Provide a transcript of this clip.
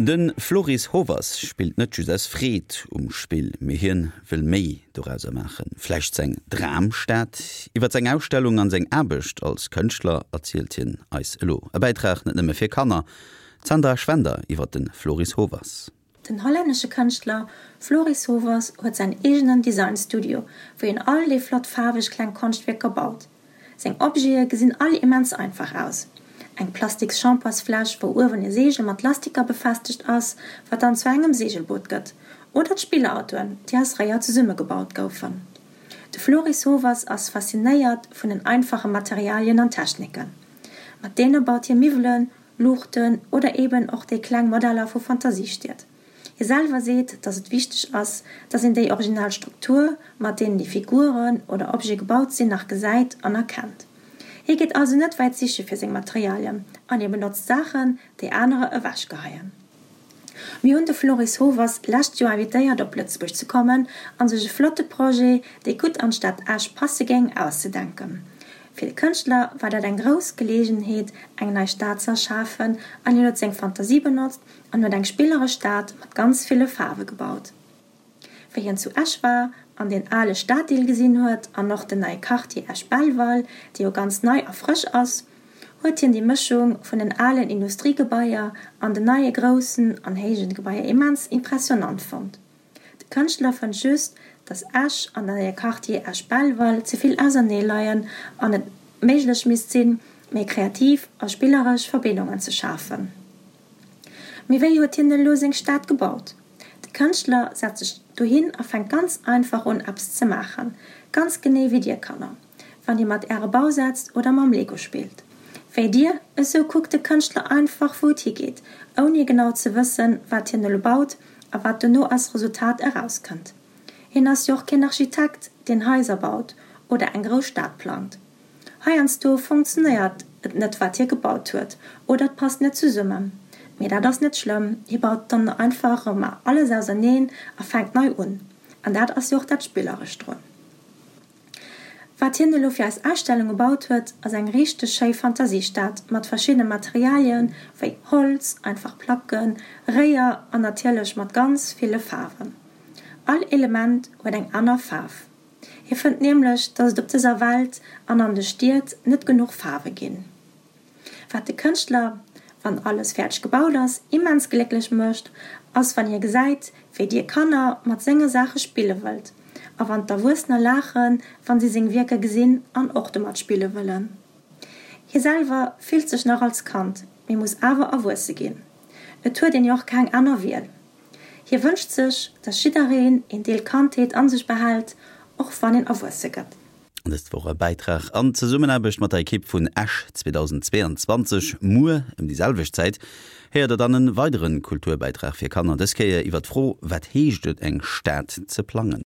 De Floris Hovers spillt net just aus Freed um Spill, mee hien wëll méi dorauser maachen. Vläicht seng Dramstad? Iwwer seng Ausstellung an seng Aarbecht als Kënschtler erzielt hien eis elo. E Bäitrag net nëmme fir Kanner. D'Sandra Schwender iwwer de Floris Hovers. Den hollännesche Kënschtler Floris Hovers huet säin eegenen Design-Studio, wou hien all déi flott faarweg kleng Konschtwierker baut. Seng Objete gesinn all immens einfach aus, eng plastiks Shampoosfläsch, wou uewen e Seegel mat Lastiker befestegt ass, wat dann zu engem Seegelboot gëtt, oder d'Spillautoen, déi aus Réier zesummegebaut goufen. De Floris Hovers ass faszinéiert vun den einfache Materialien an Techniken. Mat deene baut hie Miwwelen, Luuchten oder eben och déi kleng Modeller vu Fantasiestied. Hie selwer seet, datt et wichteg ass, datt een déi original Struktur, mat deenen déi Figuren oder Objete gebaut sinn, nach gesäit an erkennt. Hie geet also net wäit siche fir seng Materialien an hie benotzt Saachen, déi anerer ewechgeheien. Mir hunn de Floris Hovers lescht Joer invitéiert op Lëtzebuerg ze kommen an sech e flotte Projet, dee gutt an d'Stad Esch passe géing, auszedenken. Fir de Kënschtler war dat eng grouss Geleegenheet, eng nei Stad ze erschafen an hien huet seng Fantasie benotzt, an huet eng spilleresch Stad mat ganz ville Faarwe gebaut. Wéi hien zu Esch war an deen ale Staddeel gesinn huet an och den neie Quartier Esch-Belval, dee jo ganz nei a frësch ass, huet hien déi Mëschung vun den alen Industriegebaier an den neie groussen an héijen Gebaier immens impressionant fonnt. De Kënschtler fënnt just, datt Esch an den neie Quartier Esch-Belval ze vill ausernee leien an et méiglech misst sinn, méi kreativ a spilleresch Verbindungen ze schafen. Mee wéi huet hien elo seng Stad gebaut? De Kënschtler setzt sech dohin a fänkt ganz einfach un eppes ze maachen, ganz genee wéi dir Kanner, wann dir mat äre Bausätz oder mam Lego spillt. Wéi dir, esou kuckt de Kënschtler einfach wou et higeet, ouni genau ze wëssen wat hien elo baut a wat dono als Resultat erauskënnt. Hien ass jo och keen Architekt, deen Haiser baut oder eng grouss Stad plangt. Heiansdo funktionéiert et net wat hie gebaut huet oder et passt net zesummen. Mee dat ass net schlëmm, hie baut dann einfach erëm alles auserneen a fänkt nei un. An dat ass jo och dat Spillerescht drun. Wat hien elo fir eis Ausstellung gebaut huet, ass eng richteg schéi Fantasiestad mat verschiddene Materialien wéi Holz, einfach Placken, Réier an natierlech mat ganz ville Faarwen. All Element huet eng aner Faarf. Hie fënnt nämlech, datt et op dëser Welt an an de Stied net genuch Faarwe ginn. Wat de Kënschtler, wann alles fäerdeg gebaut ass, immens glécklech mécht, ass wann hie gesäit, wéi dir Kanner mat senge Saache spille wëllt a wann d'Erwuessener laachen, wann si seng Wierker gesinn an och domat spille wëllen. Hie selwer fillt sech nach als Kand, mee muss awer erwuesse ginn. Et huet een jo och keng aner Wiel. Hie wënscht sech, dass jiddereen een Deel Kandheet an sech behält, och wann een erwuesse gëtt. Dëst wor e Bäitrag an Zesummenaarbecht mat der Ekipp vun Esch 2022. Muer ëm déi selwecht Zäit héiert der dann en weideren Kulturbäitrag fir Kanner, dës Kéier iwwer d'Fro, Wat heescht et eng Stad ze plangen?